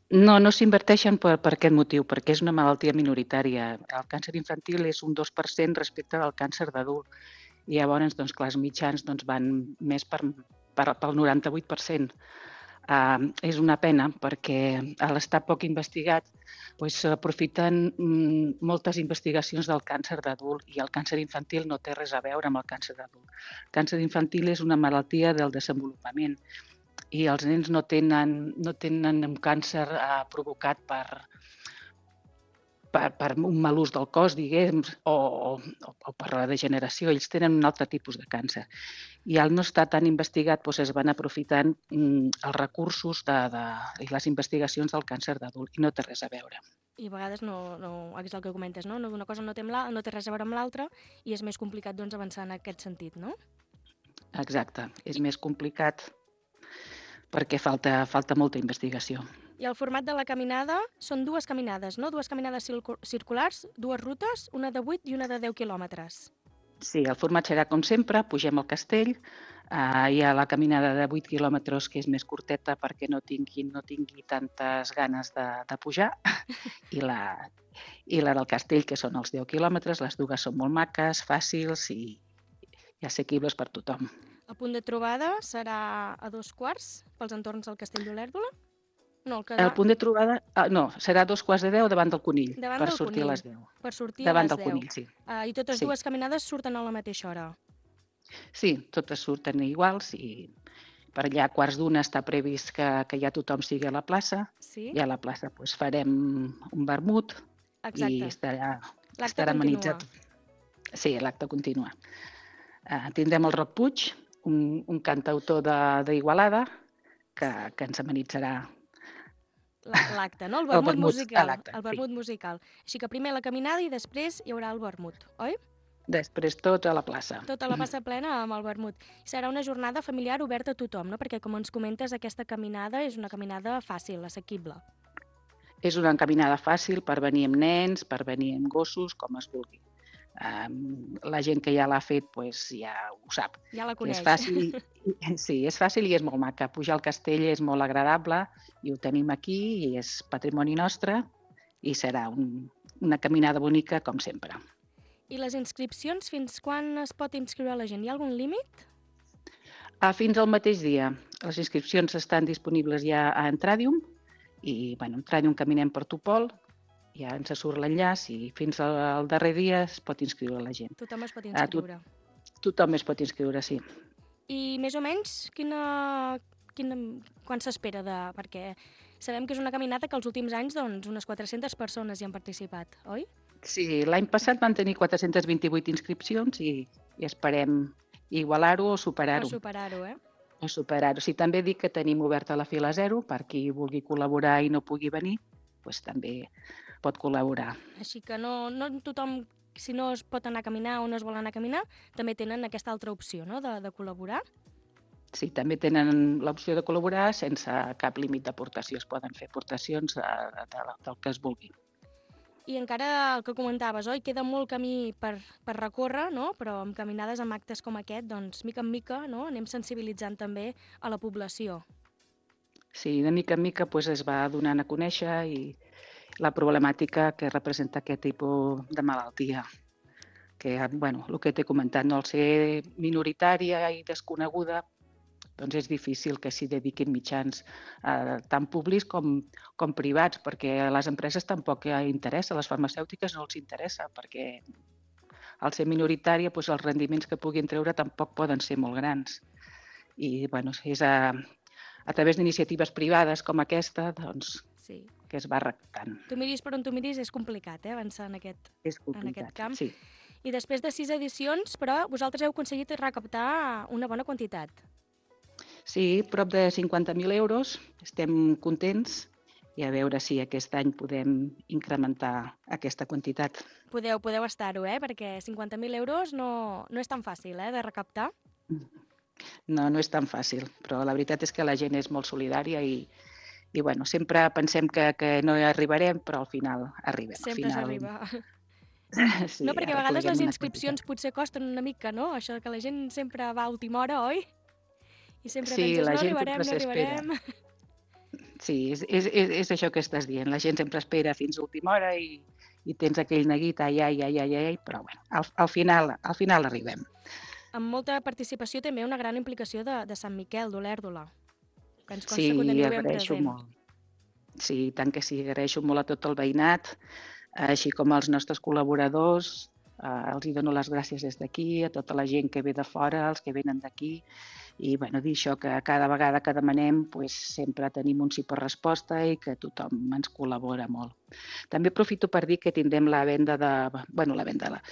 No, no s'inverteixen per, per aquest motiu, perquè és una malaltia minoritària. El càncer infantil és un dos per cent respecte al càncer d'adult. I llavors, doncs, clar, els mitjans doncs, van més per, per, pel noranta-vuit per cent. Uh, és una pena perquè a l'estar poc investigat s'aprofiten doncs, moltes investigacions del càncer d'adult i el càncer infantil no té res a veure amb el càncer d'adult. El càncer infantil és una malaltia del desenvolupament i els nens no tenen, no tenen un càncer uh, provocat per, per, per un mal ús del cos, diguem, o, o, o per la degeneració. Ells tenen un altre tipus de càncer. I al no estar tan investigat doncs es van aprofitant mm, els recursos de, de, i les investigacions del càncer d'adult i no té res a veure. I a vegades no, no és el que comentes, no? Una cosa no té, la, no té res a veure amb l'altra i és més complicat doncs, avançar en aquest sentit, no? Exacte, és més complicat perquè falta, falta molta investigació. I el format de la caminada són dues caminades, no? Dues caminades circulars, dues rutes, una de vuit i una de deu quilòmetres. Sí, el format serà com sempre, pugem al castell, uh, hi ha la caminada de vuit quilòmetres que és més curteta perquè no tingui, no tingui tantes ganes de, de pujar, i la, i la del castell, que són els deu quilòmetres, les dues són molt maques, fàcils i, i assequibles per tothom. El punt de trobada serà a dos quarts pels entorns del Castell d'Olèrdola? No, el, que... el punt de trobada, uh, no, serà dos quarts de deu davant del Conill, davant per del sortir conill. a les deu. Per sortir davant a les del deu. Conill, sí. Uh, I totes sí. dues caminades surten a la mateixa hora? Sí, totes surten iguals i per allà a quarts d'una està previst que, que ja tothom sigui a la plaça. Sí? I a la plaça doncs, farem un vermut. Exacte. I estarà, continua. estarà amenitzat. Sí, l'acte continua. Uh, tindrem el Roc Puig, un, un cantautor d'Igualada, que, que ens amenitzarà l'acte, no? El vermut, el vermut musical. El vermut sí. musical. Així que primer la caminada i després hi haurà el vermut, oi? Després tot a la plaça. Tota la plaça plena amb el vermut. Serà una jornada familiar oberta a tothom, no? Perquè, com ens comentes, aquesta caminada és una caminada fàcil, assequible. És una caminada fàcil per venir amb nens, per venir amb gossos, com es vulgui. Um, la gent que ja l'ha fet pues, ja ho sap. Ja la coneix. És fàcil, i, sí, és fàcil i és molt maca. Pujar al castell és molt agradable i ho tenim aquí i és patrimoni nostre i serà un, una caminada bonica com sempre. I les inscripcions, fins quan es pot inscriure la gent? Hi ha algun límit? Ah, fins al mateix dia. Les inscripcions estan disponibles ja a Entradium i, bueno, Entradium Caminem per tu, Pol, ja ens surt l'enllaç i fins al darrer dia es pot inscriure la gent. Tothom es pot inscriure. Ah, to tothom es pot inscriure, sí. I més o menys, quina, quina, quan s'espera de... Perquè sabem que és una caminata que els últims anys doncs, unes quatre-centes persones hi han participat, oi? Sí, l'any passat van tenir quatre-centes vint-i-vuit inscripcions i, i esperem igualar-ho o superar-ho. O superar-ho, eh? O superar-ho. Sí, també dic que tenim oberta la fila zero per qui vulgui col·laborar i no pugui venir, doncs també pot col·laborar. Així que no, no tothom, si no es pot anar a caminar o no es vol anar a caminar, també tenen aquesta altra opció, no?, de, de col·laborar. Sí, també tenen l'opció de col·laborar sense cap límit d'aportació. Es poden fer aportacions de, de, del que es vulgui. I encara el que comentaves, oi? Queda molt camí per, per recórrer, no? Però amb caminades, amb actes com aquest, doncs, mica en mica, no? Anem sensibilitzant també a la població. Sí, de mica en mica pues, es va donant a conèixer i la problemàtica que representa aquest tipus de malaltia. que, bueno, el que t'he comentat, no, al ser minoritària i desconeguda, doncs és difícil que s'hi dediquin mitjans eh, tant públics com, com privats, perquè a les empreses tampoc interessa, a les farmacèutiques no els interessa, perquè al ser minoritària doncs els rendiments que puguin treure tampoc poden ser molt grans. I bueno, és a, a través d'iniciatives privades com aquesta doncs, sí. que es va recaptant. Tu miris per on tu miris, és complicat, eh, avançar en aquest, és en aquest camp. Sí. I després de sis edicions, però, vosaltres heu aconseguit recaptar una bona quantitat. Sí, prop de cinquanta mil euros. Estem contents i a veure si aquest any podem incrementar aquesta quantitat. Podeu, podeu estar-ho, eh? Perquè cinquanta mil euros no, no és tan fàcil eh, de recaptar. No, no és tan fàcil, però la veritat és que la gent és molt solidària i, i bueno, sempre pensem que, que no hi arribarem, però al final arribem. Sempre al final... s'arriba. Sí, no, perquè a vegades les inscripcions potser costen una mica, no? Això que la gent sempre va a última hora, oi? I sempre sí, penses, la no gent arribarem, no s'espera. arribarem. Sí, és, és, és això que estàs dient. La gent sempre espera fins a última hora i, i tens aquell neguit, ai, ai, ai, ai, ai, però bueno, al, al, final, al final arribem. Amb molta participació també una gran implicació de, de Sant Miquel, d'Olèrdola, que ens consta sí, que ho teniu ben agraeixo present. Molt. Sí, tant que sí, agraeixo molt a tot el veïnat, així com als nostres col·laboradors, eh, els hi dono les gràcies des d'aquí, a tota la gent que ve de fora, els que venen d'aquí, i bueno, dir això, que cada vegada que demanem pues, sempre tenim un sí per resposta i que tothom ens col·labora molt. També aprofito per dir que tindrem la venda de... Bueno, la venda... La,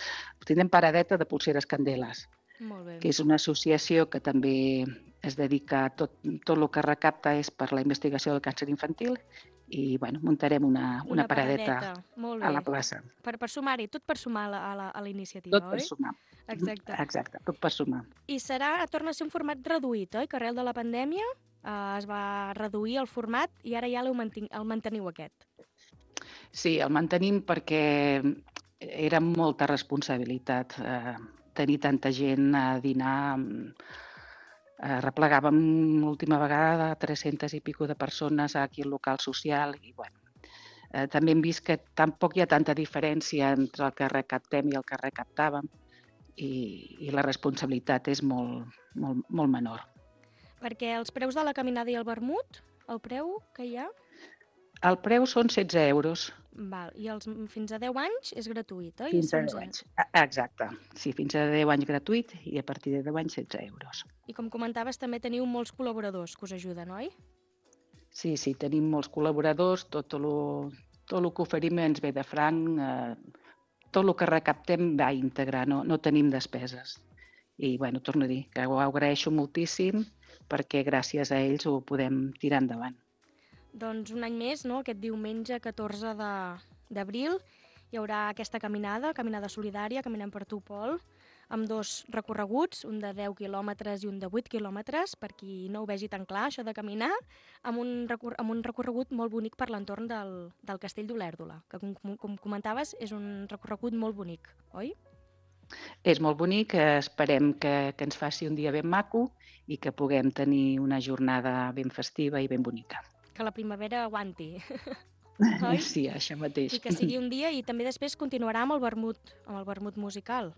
tindrem paradeta de pulseres Candeles, molt bé. Que és una associació que també es dedica a tot, tot el que recapta és per la investigació del càncer infantil i bueno, muntarem una, una, una paradeta, paradeta. Molt bé. A la plaça. Per, per sumar-hi, tot per sumar a la, a la iniciativa, tot oi? Tot per sumar. Exacte. Exacte, tot per sumar. I serà, torna a ser un format reduït, oi? Que arrel de la pandèmia eh, es va reduir el format i ara ja el manteniu aquest. Sí, el mantenim perquè era molta responsabilitat eh, tenir tanta gent a dinar. Eh, replegàvem l'última vegada tres-centes i pico de persones aquí al local social i bueno, eh, també hem vist que tampoc hi ha tanta diferència entre el que recaptem i el que recaptàvem i, i la responsabilitat és molt, molt, molt menor. Perquè els preus de la caminada i el vermut, el preu que hi ha? El preu són setze euros. Val. I els, fins a deu anys és gratuït, oi? Fins a deu anys. Exacte. Sí, fins a deu anys gratuït i a partir de deu anys setze euros. I com comentaves, també teniu molts col·laboradors que us ajuden, oi? Sí, sí, tenim molts col·laboradors, tot el, tot el que oferim ens ve de franc, eh, tot el que recaptem va íntegre, no, no tenim despeses. I, bueno, torno a dir que ho agraeixo moltíssim perquè gràcies a ells ho podem tirar endavant. Doncs un any més, no? Aquest diumenge catorze d'abril hi haurà aquesta caminada, caminada solidària, Caminem per tu, Pol, amb dos recorreguts, un de deu quilòmetres i un de vuit quilòmetres, per qui no ho vegi tan clar, això de caminar, amb un, recor amb un recorregut molt bonic per l'entorn del, del castell d'Olèrdola, que com, com comentaves és un recorregut molt bonic, oi? És molt bonic, esperem que, que ens faci un dia ben maco i que puguem tenir una jornada ben festiva i ben bonica. Que la primavera aguanti, oi? Sí, això mateix. I que sigui un dia i també després continuarà amb el vermut, amb el vermut musical.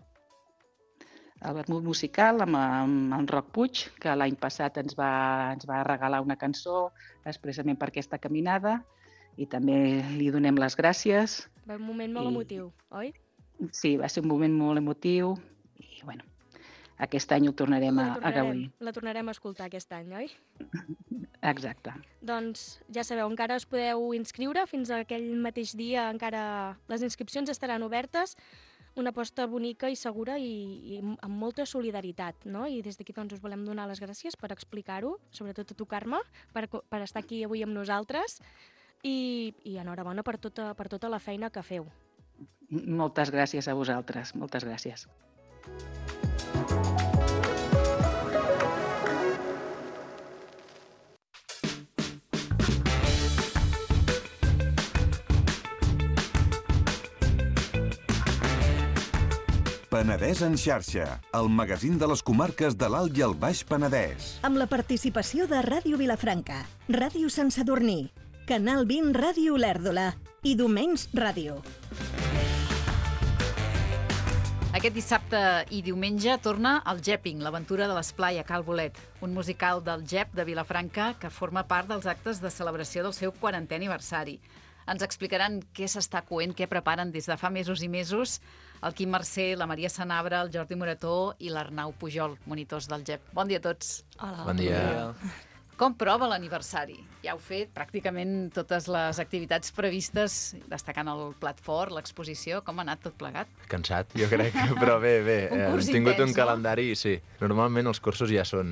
El vermut musical amb, amb en Roc Puig, que l'any passat ens va, ens va regalar una cançó expressament per aquesta caminada i també li donem les gràcies. Va un moment molt I... emotiu, oi? Sí, va ser un moment molt emotiu i, bueno, aquest any ho tornarem, tornarem a, a gaudir. La tornarem a escoltar aquest any, oi? Exacte. Doncs ja sabeu, encara us podeu inscriure fins a aquell mateix dia, encara les inscripcions estaran obertes, una aposta bonica i segura i, i amb molta solidaritat, no? I des d'aquí doncs us volem donar les gràcies per explicar-ho, sobretot a tu, Carme, per, per estar aquí avui amb nosaltres i, i enhorabona per tota, per tota la feina que feu. Moltes gràcies a vosaltres, moltes gràcies. Penedès en xarxa, el magazín de les comarques de l'Alt i el Baix Penedès. Amb la participació de Ràdio Vilafranca, Ràdio Sant Sadurní, Canal vint Ràdio Olèrdola i Domenys Ràdio. Aquest dissabte i diumenge torna el Jepping, l'aventura de l'esplai a Cal Bolet, un musical del Jep de Vilafranca que forma part dels actes de celebració del seu quarantè aniversari. Ens explicaran què s'està coent, què preparen des de fa mesos i mesos el Quim Mercè, la Maria Sanabra, el Jordi Morató i l'Arnau Pujol, monitors del Jep. Bon dia a tots. Hola. Bon dia. Com prova l'aniversari? Ja heu fet pràcticament totes les activitats previstes, destacant el plat fort, l'exposició. Com ha anat tot plegat? Cansat, jo crec, però bé, bé. Un curs Hem tingut intens, un no? calendari, sí. Normalment els cursos ja són,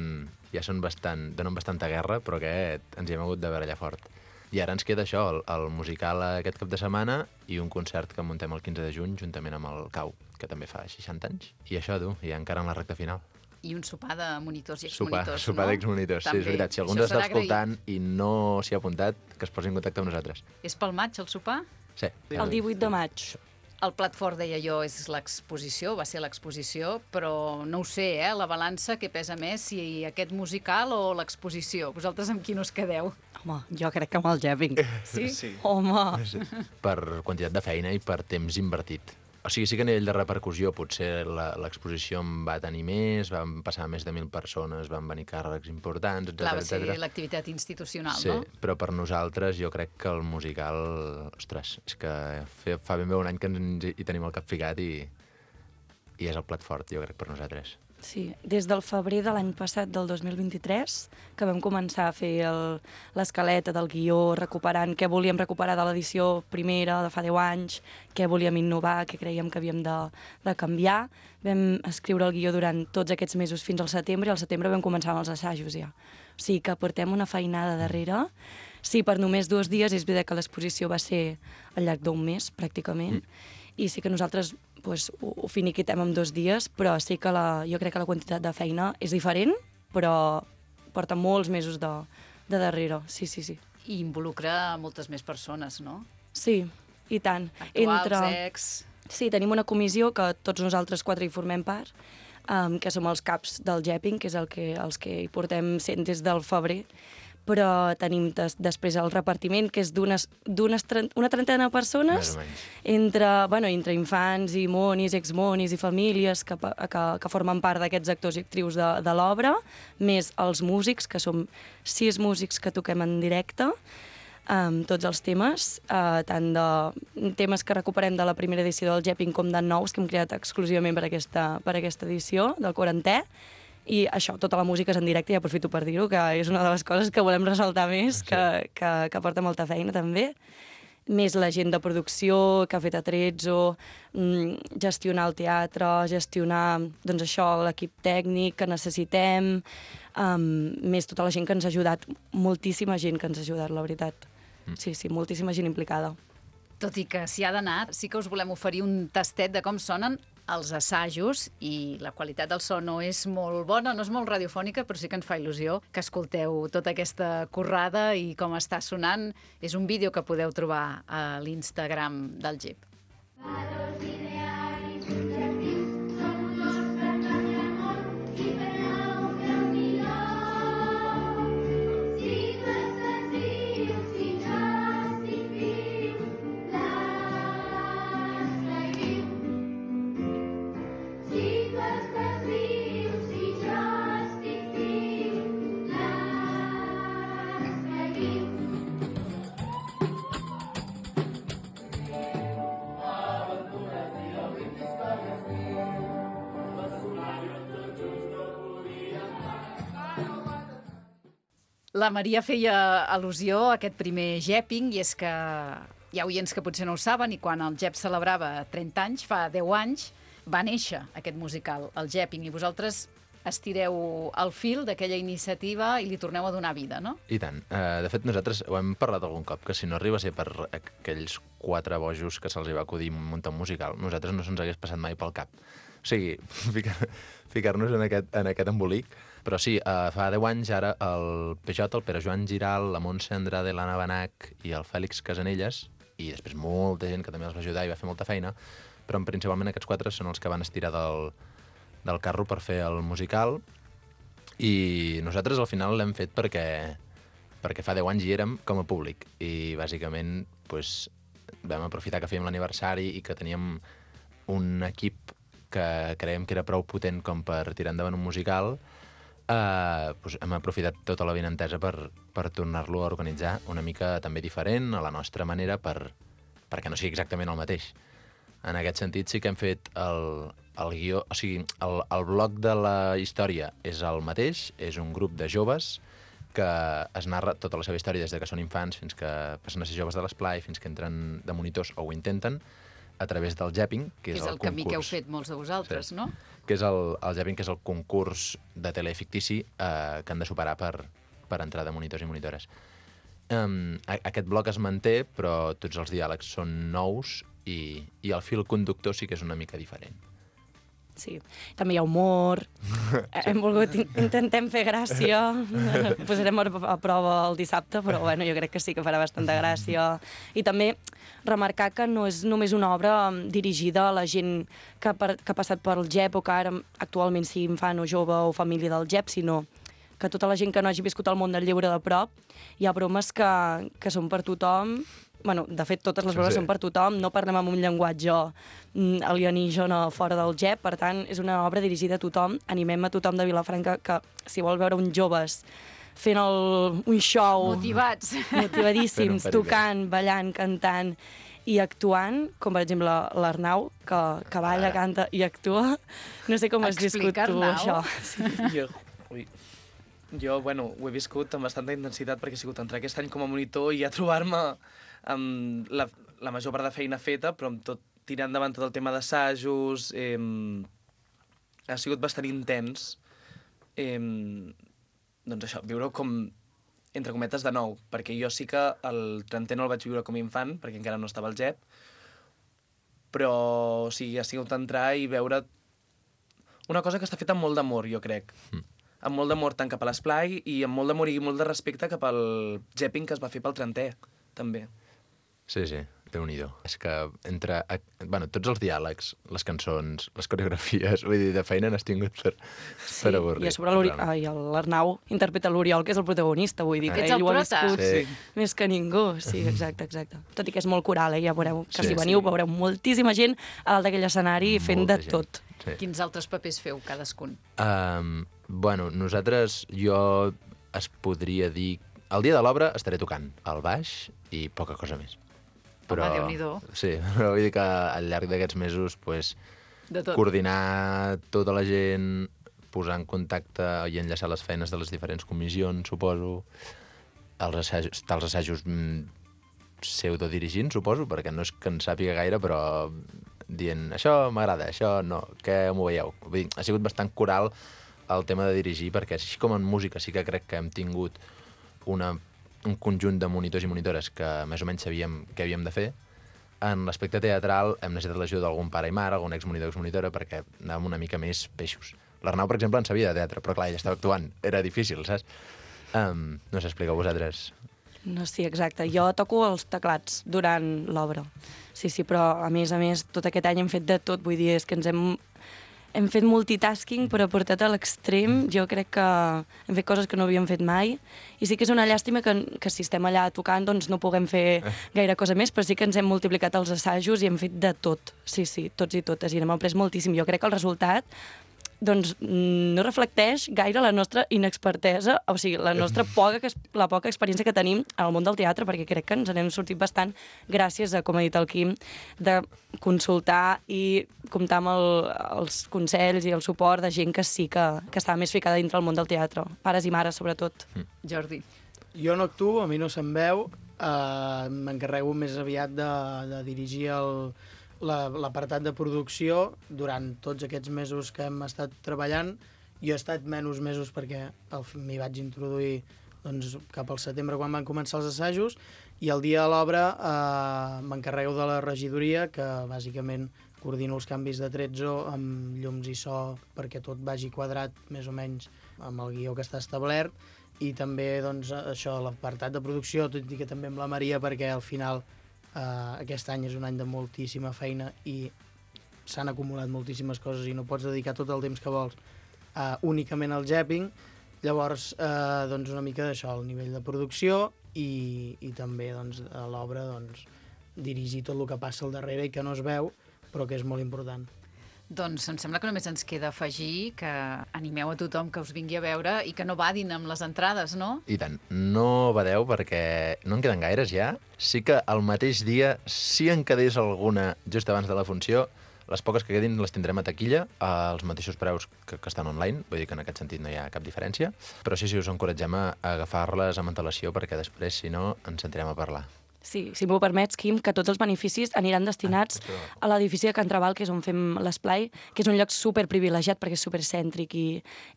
ja són bastant, donen bastanta guerra, però aquest ens hi hem hagut de barallar fort. I ara ens queda això, el, el musical aquest cap de setmana i un concert que muntem el quinze de juny juntament amb el Cau, que també fa seixanta anys. I això, tu, i encara en la recta final. I un sopar de monitors i Sopar, exmonitors, sopar no? d'exmonitors, sí, També. és veritat. Si algú Això ens està serà escoltant i no s'hi ha apuntat, que es posi en contacte amb nosaltres. És pel maig, el sopar? Sí. El divuit de maig. El plat fort, deia jo, és l'exposició, va ser l'exposició, però no ho sé, eh, la balança, què pesa més, si aquest musical o l'exposició? Vosaltres amb quin us quedeu? Home, jo crec que amb el Jepping. Sí? Sí. Home! Per quantitat de feina i per temps invertit. O sigui, sí que a nivell de repercussió potser la- l'exposició en va tenir més, van passar més de mil persones, van venir càrrecs importants, etcètera. Clar, va ser etcètera. l'activitat institucional, Sí, no? però per nosaltres jo crec que el musical, ostres, és que fe- fa ben bé un any que ens hi tenim el cap ficat i, i és el plat fort, jo crec, per nosaltres. Sí, des del febrer de l'any passat, del dos mil vint-i-tres, que vam començar a fer el- l'escaleta del guió, recuperant què volíem recuperar de l'edició primera, de fa deu anys, què volíem innovar, què creiem que havíem de, de canviar. Vam escriure el guió durant tots aquests mesos fins al setembre, i al setembre vam començar amb els assajos ja. O sigui que portem una feinada darrere. Sí, per només dos dies, és veritat que l'exposició va ser al llarg d'un mes, pràcticament, mm. i sí que nosaltres pues, ho, ho finiquitem en dos dies, però sí que la, jo crec que la quantitat de feina és diferent, però porta molts mesos de, de darrere, sí, sí, sí. I involucra moltes més persones, no? Sí, i tant. Actuals, ex... Sí, tenim una comissió que tots nosaltres quatre hi formem part, um, que som els caps del Jepping, que és el que, els que hi portem sent des del febrer, però tenim des, després el repartiment, que és d'unes d'unes una trentena de persones, entre, bueno, entre infants i monis, exmonis i famílies que, que, que formen part d'aquests actors i actrius de, de l'obra, més els músics, que som sis músics que toquem en directe, amb tots els temes, eh, tant de temes que recuperem de la primera edició del Jepping com de nous que hem creat exclusivament per aquesta, per aquesta edició del quarantè. I això, tota la música és en directe, i aprofito per dir-ho, que és una de les coses que volem ressaltar més, sí. que, que, que porta molta feina també. Més la gent de producció, que ha fet Atrezzo, mm, gestionar el teatre, gestionar doncs això, l'equip tècnic que necessitem, um, més tota la gent que ens ha ajudat, moltíssima gent que ens ha ajudat, la veritat. Mm. Sí, sí, moltíssima gent implicada. Tot i que s'hi ha d'anar, sí que us volem oferir un tastet de com sonen els assajos, i la qualitat del so no és molt bona, no és molt radiofònica, però sí que ens fa il·lusió que escolteu tota aquesta currada i com està sonant. És un vídeo que podeu trobar a l'Instagram del Jep. La Maria feia al·lusió a aquest primer Jepping, i és que hi ha oients que potser no ho saben, i quan el Jep celebrava trenta anys, fa deu anys, va néixer aquest musical, el Jepping, i vosaltres estireu el fil d'aquella iniciativa i li torneu a donar vida, no? I tant. Uh, de fet, nosaltres ho hem parlat algun cop, que si no arriba a ser per aquells quatre bojos que se'ls va acudir muntar un musical, nosaltres no se'ns hagués passat mai pel cap. O sigui, ficar, ficar-nos en aquest, en aquest embolic. Però sí, uh, fa deu anys ara el Pejot, el Pere Joan Giral, la Montse Andrade, l'Anna Benach i el Fèlix Casanelles, i després molta gent que també els va ajudar i va fer molta feina, però principalment aquests quatre són els que van estirar del, del carro per fer el musical, i nosaltres al final l'hem fet perquè, perquè fa deu anys hi érem com a públic, i bàsicament pues, vam aprofitar que fèiem l'aniversari i que teníem un equip que creiem que era prou potent com per tirar endavant un musical, eh, doncs hem aprofitat tota la benentesa per, per tornar-lo a organitzar una mica també diferent, a la nostra manera, per, perquè no sigui exactament el mateix. En aquest sentit sí que hem fet el, el guió... O sigui, el, el bloc de la història és el mateix, és un grup de joves que es narra tota la seva història des de que són infants fins que passen a ser joves de l'esplai, fins que entren de monitors o ho intenten, a través del Jepping, que és, és el, el camí que heu fet molts de vosaltres, sí. no? Que és el, el Jepping, que és el concurs de tele fictici eh, que han de superar per, per entrar de monitors i monitores. Um, aquest bloc es manté, però tots els diàlegs són nous i, i el fil conductor sí que és una mica diferent. Sí, també hi ha humor, sí. Hem volgut, intentem fer gràcia, posarem a prova el dissabte, però bueno, jo crec que sí que farà bastanta gràcia. I també remarcar que no és només una obra dirigida a la gent que ha, per, que ha passat pel G E P o que ara actualment sigui infant o jove o família del G E P, sinó que tota la gent que no hagi viscut el món del llibre de prop, hi ha bromes que, que són per tothom. Bueno, de fet, totes les bromes sí. són per tothom, no parlem amb un llenguatge alienígena fora del G E P, per tant, és una obra dirigida a tothom. Animem a tothom de Vilafranca que, si vol veure uns joves fent el, un show... Motivats. Motivadíssims, tocant, ballant, cantant i actuant, com per exemple l'Arnau, que, que balla, ah. canta i actua. No sé com has viscut tu, això. Sí. Jo, ui, jo, bueno, ho he viscut amb bastanta intensitat perquè he sigut entrar aquest any com a monitor i a trobar-me amb la, la major part de feina feta, però amb tot, tirant endavant tot el tema d'assajos, eh, ha sigut bastant intens. Eh, doncs això, viure com, entre cometes, de nou, perquè jo sí que el trentè no el vaig viure com a infant, perquè encara no estava al G E P, però o sigui, ha sigut entrar i veure una cosa que està feta amb molt d'amor, jo crec. Mm. Amb molt d'amor tant cap a l'esplai i amb molt d'amor i molt de respecte cap al Jepping que es va fer pel trentè, també. Sí, sí, Déu-n'hi-do. És que entre... Bueno, tots els diàlegs, les cançons, les coreografies, vull dir, de feina n'has tingut per, sí, per avorrir. I a sobre l'Arnau interpreta l'Oriol, que és el protagonista, vull dir, ah. que ell ho ha viscut sí. més que ningú. Sí, exacte, exacte. Tot i que és molt coral, eh? Ja veureu que sí, si veniu sí. veureu moltíssima gent a dalt d'aquell escenari fent Molta de gent. tot. Sí. Quins altres papers feu, cadascun? Um, bueno, nosaltres, jo es podria dir... El dia de l'obra estaré tocant el baix i poca cosa més. Però, home, Déu-n'hi-do. Sí, però vull dir que al llarg d'aquests mesos pues, coordinar tota la gent, posar en contacte i enllaçar les feines de les diferents comissions, suposo, els assajos, estar els assajos pseudodirigint, suposo, perquè no és que en sàpiga gaire, però dient, això m'agrada, això no, què m'ho veieu? Vull dir, ha sigut bastant coral el tema de dirigir, perquè així com en música sí que crec que hem tingut una, un conjunt de monitors i monitores que més o menys sabíem què havíem de fer. En l'aspecte teatral hem necessitat l'ajuda d'algun pare i mare, algun exmonitor o exmonitora, perquè anàvem una mica més peixos. L'Arnau, per exemple, en sabia de teatre, però clar, ell estava actuant. Era difícil, saps? Um, no sé, expliqueu vosaltres. No, sí, exacte. Jo toco els teclats durant l'obra. Sí, sí, però a més a més, tot aquest any hem fet de tot. Vull dir, és que ens hem... Hem fet multitasking, però portat a l'extrem. Jo crec que hem fet coses que no havíem fet mai. I sí que és una llàstima que, que si estem allà tocant doncs no puguem fer gaire cosa més, però sí que ens hem multiplicat els assajos i hem fet de tot. Sí, sí, tots i totes. I n'hem après moltíssim. Jo crec que el resultat doncs no reflecteix gaire la nostra inexpertesa, o sigui, la nostra poca, la poca experiència que tenim al món del teatre, perquè crec que ens n'hem sortit bastant gràcies a, com ha dit el Quim, de consultar i comptar amb el, els consells i el suport de gent que sí que, que estava més ficada dintre el món del teatre, pares i mares, sobretot. Mm. Jordi. Jo no actuo, a mi no se'm veu, eh, m'encarrego més aviat de, de dirigir el l'apartat de producció durant tots aquests mesos que hem estat treballant. Jo he estat menys mesos perquè m'hi vaig introduir doncs, cap al setembre quan van començar els assajos, i el dia de l'obra eh, m'encarrego de la regidoria, que bàsicament coordino els canvis de tretzo amb llums i so perquè tot vagi quadrat més o menys amb el guió que està establert, i també doncs, això, l'apartat de producció, tot i que també amb la Maria, perquè al final Uh, aquest any és un any de moltíssima feina i s'han acumulat moltíssimes coses i no pots dedicar tot el temps que vols uh, únicament al Jepping. Llavors, uh, doncs una mica d'això, el nivell de producció i, i també doncs, a l'obra doncs, dirigir tot el que passa al darrere i que no es veu, però que és molt important. Doncs em sembla que només ens queda afegir que animeu a tothom que us vingui a veure i que no badin amb les entrades, no? I tant, no badeu perquè no en queden gaires ja. Sí que el mateix dia, si en quedés alguna just abans de la funció, les poques que quedin les tindrem a taquilla, als mateixos preus que, que estan online, vull dir que en aquest sentit no hi ha cap diferència, però sí, sí, us encoratgem a agafar-les amb antelació perquè després, si no, ens sentirem a parlar. Sí, si m'ho permets, Quim, que tots els beneficis aniran destinats ah, a l'edifici de Can Trabal, que és on fem l'esplai, que és un lloc superprivilegiat perquè és supercèntric i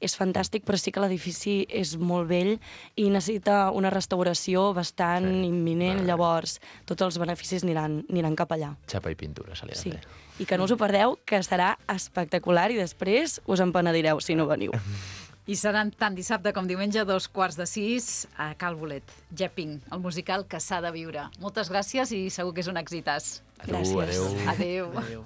és fantàstic, però sí que l'edifici és molt vell i necessita una restauració bastant sí. imminent, vale. Llavors tots els beneficis aniran, aniran cap allà. Xapa i pintura, se li ha de sí. fer. I que no us ho perdeu, que serà espectacular i després us en penedireu si no veniu. I seran tant dissabte com diumenge, dos quarts de sis, a Cal Bolet. Jepping, el musical que s'ha de viure. Moltes gràcies i segur que és un èxitàs. Gràcies. Adéu. Adéu. Adéu.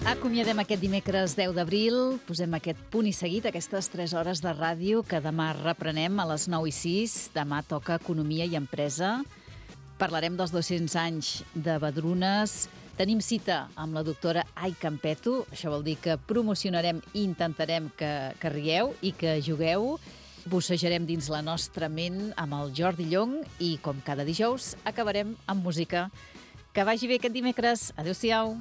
Acomiadem aquest dimecres deu d'abril, posem aquest punt i seguit, aquestes tres hores de ràdio que demà reprenem a les nou i sis. Demà toca Economia i Empresa. Parlarem dels dos-cents anys de Badrunes. Tenim cita amb la doctora Ai Campeto. Això vol dir que promocionarem i intentarem que, que rieu i que jugueu. Bussejarem dins la nostra ment amb el Jordi Llong i, com cada dijous, acabarem amb música. Que vagi bé aquest dimecres. Adéu-siau.